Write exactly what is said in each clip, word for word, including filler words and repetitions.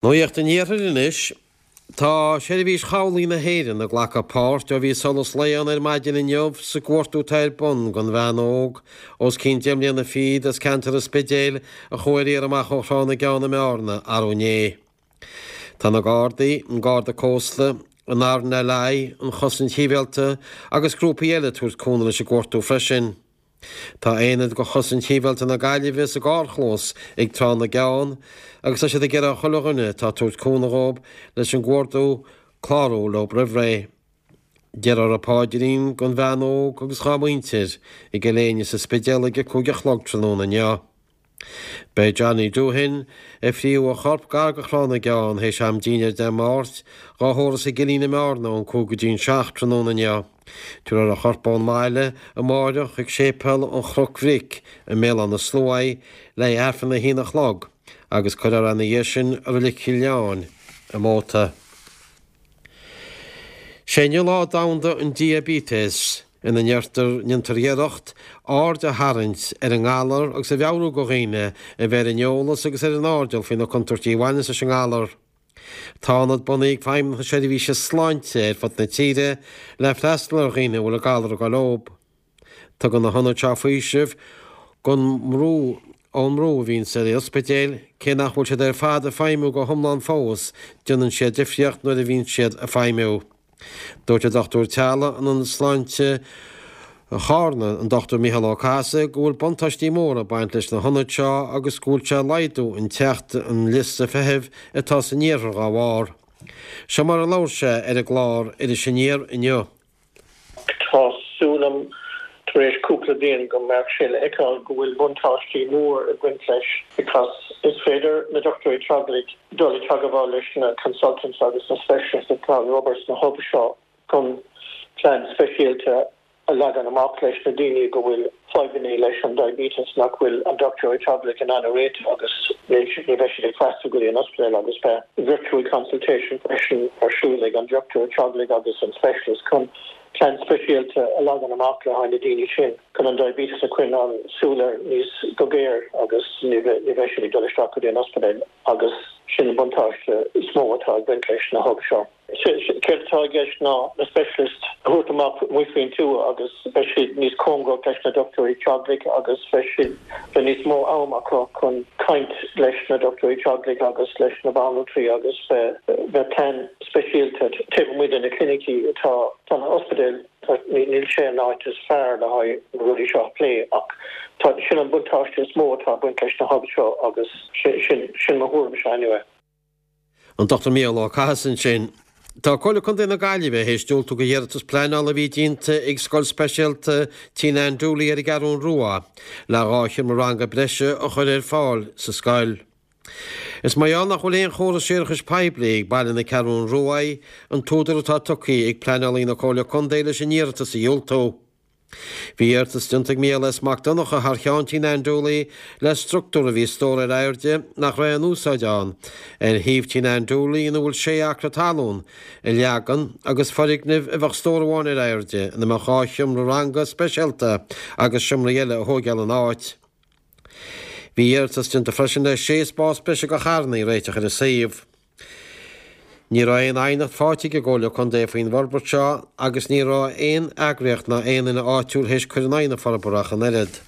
Nuacht an Iarthair anois. Tá Seirbhís Chabhlaigh na hÉireann ag glacadh páirt ó bhí solas lae ann ar maidin inniu sa gcuartú atá ar bun don bhean óg os cionn deich mbliana fichead as ceantar an Spidéil a chuaigh ar iarraidh amach ó Thrá na gCeann i mBearna arú inné. Tá na Gardaí, an Garda Cósta, an RNLI, an Chosaint Shibhialta agus grúpaí eile ag tabhairt cúnamh leis an gcuartú freisin. Tá aonad de Chosaint Shibhialta na Gaillimhe sa gcarrchlós ag Trá na gCeann agus tá siad ag iarraidh ar chuile dhuine atá ag tabhairt cúnamh dhóibh leis an gcuardú clárú leo roimh ré. Déarfar an paidrín don bhean óg agus dhá muintir i gCill Éinne sa Spidéal ag a cúig a chlog tráthnóna inniu. Beidh Johnny Doohan ag fríothadh a chorp gar do Thrá na gCeann théis am dinnéir Dé Máirt dhá thórramh sa gCillín i mBearna ón cúig go dtí an seacht tráthnóna inniu. Tabharfar a chorp ón mbaile amáireach chuig séipéal an Chnoc Bhric i mBéal Átha na Sluaighe le haghaidh Aifreann a haon a chlog agus cuirfear ina dhiaidh sin i Reilig Chill Leáin i Móta. Sé inniu Lá Domhanda an Diaibéitis, ina ndeirtear, ndéantar iarracht aird a tharraingt ar an ngalar agus a mheabhrú do dhaoine a bheith ar an eolas agus ar an airdeall faoi na contúirtí a bhaineanns leis an ngalar. Tá ionad bunaithe ag Feidhmeannacht na Seirbhíse Sláinte ar fud na tíre le freastal ar dhaoine a bhfuil an galar ag dul leob. Tugann na hionaid seo faoiseamh gon mbrú ón mbrú a bhíonns ar ospidéil, cé nach bhfuil siad ar fad ag feidhmiú go hiomlán fós, déanann siad difríocht nuair a bhíonn siad ag feidhmiú. Dúirt an dochtúir teaghlaigh in Ionad Sláinte Charna, an Dochtúir Mícheál Ó Cathasaigh, go bhfuil buntáistí móra ag baint leis na hionaid seo agus go bhfuil sé ag laghdú an teacht an liosta feithimh atá san iarthar dhá bharr. Seo mar a labhair sé ar an gclár Iris Aniar inniu. Tá súil agam tar éis cúpla bliain go mbeadh sé le feiceáil go bhfuil buntáistí mór ag baint leis because is féidir na dochtúirí teaghlaigh dul i teagmháil leis na consultants agus na specialists atá ag obair sna hubs seo chun plean speisialta a leagan amach leis na daoine go bhfuil fadhbanna leis an diabetes nach bhfuil an dochtúir teaghlaigh in ann a réiteach agus ní bheidh siad ag freastal go dtí an ospidéal agus beidh virtual consultation freisin ar siúl ag an dochtúir teaghlaigh agus an specialist chun plean speisialta a leagan amach le haghaidh na daoine sin chun an diabetes a choinneáil súil air níos go géar agus ní bheidh siad ag dul isteach go dtí an ospidéal agus sin an buntáiste is mó atá ag baint leis na hubs seo. Céard atá i gceist ná na specialist a thabhairt amach amuigh faoin tuath agus beidh siad níos cóngaraí leis na dochtúirí teaghlaigh agus beidh siad beidh níos mó am acu chun caint leis na dochtúirí teaghlaigh agus leis na banaltraí agus beidh plean speisialta taobh amuigh de na clinicí atá tá na ospidéil níl sé an áit is fearr le haghaidh na rudaí seo a phlé ach tá sin an buntáiste is mó atá ag baint leis na hubs seo agus sin sin mo thuairimse anyway. An Dochtúir Mícheál Ó Cathasaigh ansin. Tá Comhairle Contae na Gaillimhe théis diúltú do iarratas pleanála a bhí déanta ag Scoil Speisialta Tigh Nan Dooley ar an gCeathrú Rua le dhá sheomra ranga breise a chur ar fáil sa scoil. Is mar gheall nach bhfuil aon chóras séarachais poiblí ag baile na Ceathrún Rua an t-údar atá tugtha ag pleanálaí na Comhairle Contae leis an iarratas a dhiúltú. Bhí iarratas déanta ag Mícheál S. Mac Donncha thar cheann Tigh Nan Dooley le struchtúr a bhí stór ar airde nach raibh aon úsáid ann ar shuíomh Tigh Nan Dooley ina bhfuil sé acra talún a leagan agus foirgneamh a bheadh stór amháin ar airde ina mbeadh dhá sheomra ranga speisialta agus seomraí eile a thógáil ina áit. Bhí iarratas déanta freisin le sé spás breise do charranna a réiteach ar an suíomh. Ní raibh aon aighneacht faighte ag an gComhairle Contae faoin bhforbairt seo agus ní raibh aon eagraíocht ná aon duine áitiúil théis cur in aghaidh na forbartha ach an oiread.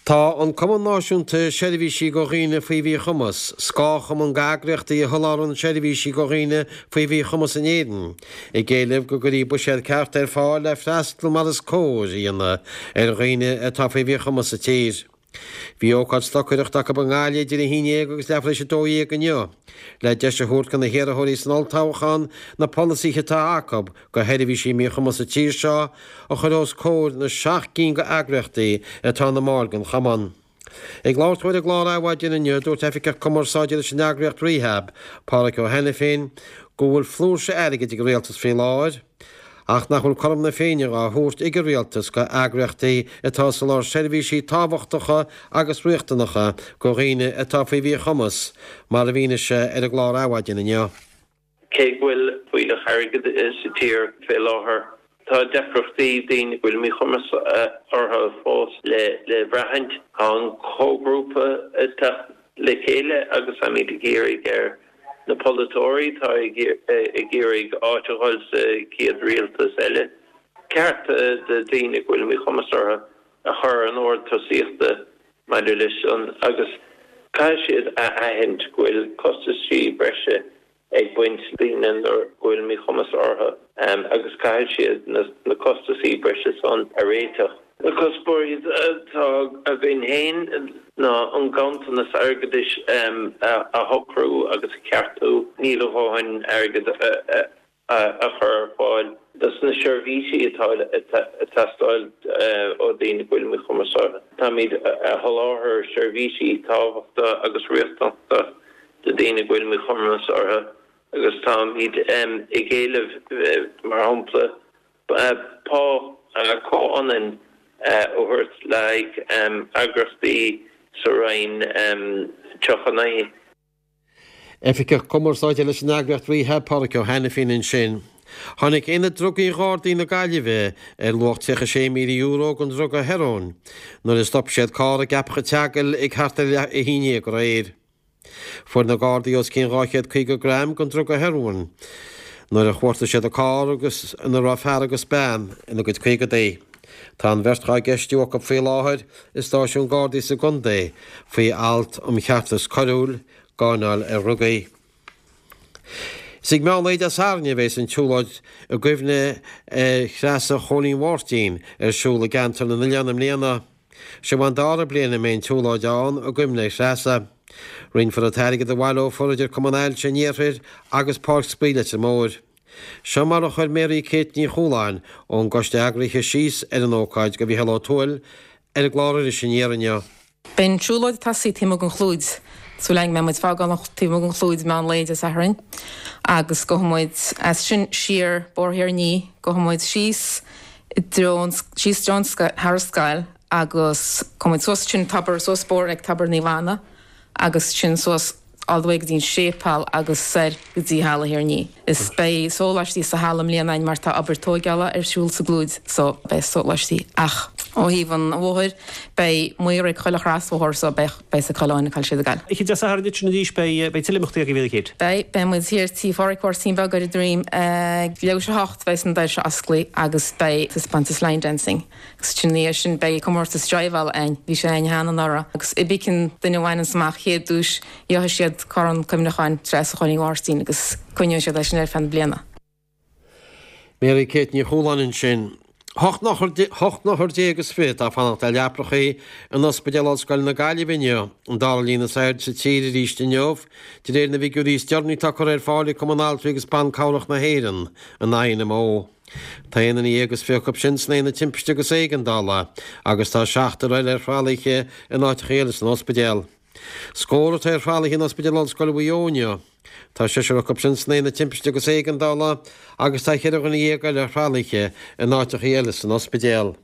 Tá an Cumann Náisiúnta Seirbhísí do Dhaoine faoi Mhíchumas, scáthchumann d'eagraíochtaí a sholáthraíonn seirbhísí do dhaoine faoi mhíchumas in Éirinn, ag éileamh go gcuirfí buiséad ceart ar fáil le freastal mar is cóir a dhéanamh ar dhaoine atá faoi mhíchumas sa tír. Bhí ócáid stocaireachta acu i nGaillimh idir a haon déag agus leathuair tar éis a dó dhéag inniu, le deis a thabhairt do na hiarrthóirí san olltoghchán na polasaithe atá acu do sheirbhísí míchumas sa tír seo a chur os comhair na seacht gcinn d'eagraíochtaí atá ina mbaill den chumann. Ag labhairt dó ar an gclár Adhmhaidin inniu, dúirt Oifigeach Cumarsáide leis an eagraíocht Rehab, Páraic Ó hAiniféin, go bhfuil flúirse airgid ag an rialtas faoi láthair, ach nach bhfuil cothrom na Féinne á thabhairt ag an rialtas do eagraíochtaí atá ag soláthar seirbhísí tábhachtacha agus riachtanacha do dhaoine atá faoi mhíchumas, mar a mhínigh sé ar an gclár Adhmhaidin inniu. Cé go bhfuil fuílleach airgid sa tír fé láthair, tá deacrachtaí daoine go bhfuil míchumas orthu fós le le braithint. Tá an comhghrúpa ag teacht le chéile agus táimid ag iarraidh ar na polaiteoirí atá ag iarraidh áit a fháil sa chéad rialtas eile cearta do daoine go bhfuil míchumas orthu a chur in ord tosaíochta maidir leis an agus caithfidh siad a aithint go bhfuil costaisí breise ag baint daoine nuair go bhfuil míchumas orthu agus caithfidh siad na costaisí breise san a réiteach. Na cuspóirí atá againn féin ná an ganntanas airgeadais a shocrú agus a cheartú. Níl a dhóthain airgead a chur ar fáil dos na seirbhísí atá ag teastáil ó daoine go bhfuil míchumas orthu. Táimid a sholáthar seirbhísí tábhachtacha agus riachtanacha do daoine go bhfuil míchumas orthu agus táimid ag éileamh mar shampla pá comhionann a thabhairt le haghaidh eagraíochtaí sa Roinn tríocha naoi. Oifigeach Cumarsáide leis an eagraíocht Rehab, Pádraic Ó hAiniféin ansin. Tháinig Aonad Drugaí Ghardaí na Gaillimhe ar luach tríocha sé míle euro den druga hearóin nuair a stop siad carr i gCeapach an tSeagail ag thart ar leath a haon déag aréir. Fuair na Gardaí os cionn dhá chéad caoga gram den druga hearóin nuair a chuartaigh siad an carr agus ina raibh fear agus bean ina gcuid caogadaí. Tá an bheirt dhá gceistiú acu faoi láthair i stáisiún Gardaí sa gcontae faoi alt um cheartas coiriúil, gáinneáil ar dhrugaí. Is ag meán lae Dé Sathairn a bheas an tsiúlóid i gcuimhne ar Threasa Chóilín Mháirtín ar siúl i gCeantar na nOileán i mbliana. Seo an dara bliain a mbeidh an tsiúlóid ann i gcuimhne ar Threasa. Roinnfear an t-airgead a bhaileofar idir Cumann Ailse an Iarthair agus Páirc Spraoi Leitir Móir. Seo mar a chuir Mary Kate Ní Chualáin ón gcoiste eagraithe síos ar an ócáid do Mhícheál Ó Tuathail ar an gclár Iris Aniar inniu. Beidh an tsiúlóid ag tosaí taobh amuigh den Chlúid. Súil againn go mbeidh muid ag fágáil an taobh amuigh den Chlúid meán lae Dé Sathairn agus gabhfaidh muid as sin siar Bóthar Thír an Fhia, gabhfaidh muid síos i dtreo an, síos treo an scoil, thar an scoil agus gabhfaidh muid suas ansin tobar, suas bóthar ag Tobar Naomh Anna agus ansin suas all the way go dtí an séipéal agus soir go dtí Halla Thír an Fhia. Is beidh sóláistí sa halla i mbliana againn mar tá obair tóigeála ar siúl sa gClúid so beidh sóláistí ach ó thaobh an bhóthair beidh maor ag chuile chrosbhóthar so beidh beidh sa coileáin ag cail siad ag gabháil. Oíche Dé Sathairn duit sin arís beidh beidh tuilleadh imeachtaí agaibh Mary Kate. Beidh, beidh muid thiar tí Phádraic Mháirtín Beag ar an Droim ag leathuair tar éis a hocht beidh na doirse osclaithe agus beidh taispeántas line dancing. Agus ansin ina dhiaidh sin beidh comórtas driveála againn, bhí sé againn cheana anuraidh agus cibé cén duine a bhaineanns amach chéad duais gheobhaidh siad corn cuimhneacháin Treasa Chóilín Mháirtín agus coinneoidh siad é sin ar feadh na bliana. Mary Kate Ní Chualáin ansin. Hocht n-othar déag is fiche atá ag fanacht ar leapacha in Ospidéal Ollscoile na Gaillimhe inniu, an dara líon is airde sa tír arís inniu, de réir na bhfigiúirí is deireanaí atá curtha ar fáil ag Cumann Altraí agus Ban Cabhrach na hÉireann, an INMO. Tá aon duine dhéag is fiche acu sin san aonad timpiste agus éigeandála agus tá seachtar eile ar thralaithe in áiteacha eile san ospidéal. Scór atá ar thralaithe in Ospidéal Ollscoile Mhaigh Eo inniu. Tá seisear acu sin san aonad timpiste agus éigeandála agus tá ceithre dhuine dhéag eile ar thralaithe in áiteacha eile san ospidéal.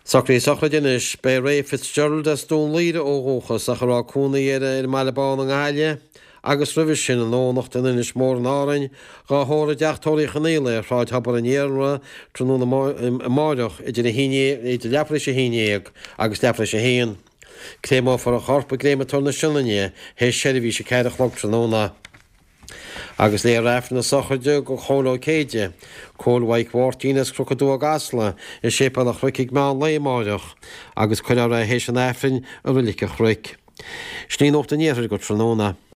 Socruithe sochraide anois. Beidh Ray Fitzgerald as Dún Laoghaire ó dhúchas ach a raibh cónaí air ar an mBaile Bán i nGaillimh agus roimhe sin i nDomhnach in Inis Mór in Árainn, dhá thórramh i dTeach Tórraimh Uí Chonaola ar Shráid Thobar an Iarla tráthnóna amáireach idir a haon idir leathuair tar éis a haon déag agus leathuair tar éis a haon. Créamófar a chorp i gCréamatóir na Sionainne théis seirbhís a ceathair a chlog tráthnóna. Agus léifear Aifreann na sochraide do Chóil Ó Céide, Cóil Mhaidhc Mháirtín as Cnoc an Dúa i gCasla, i Séipéal an Chnoic ag meán lae amáireach, agus cuirfear é théis an Aifrinn i Roilic an Chnoic. Sin í Nuacht an Iarthair go tráthnóna.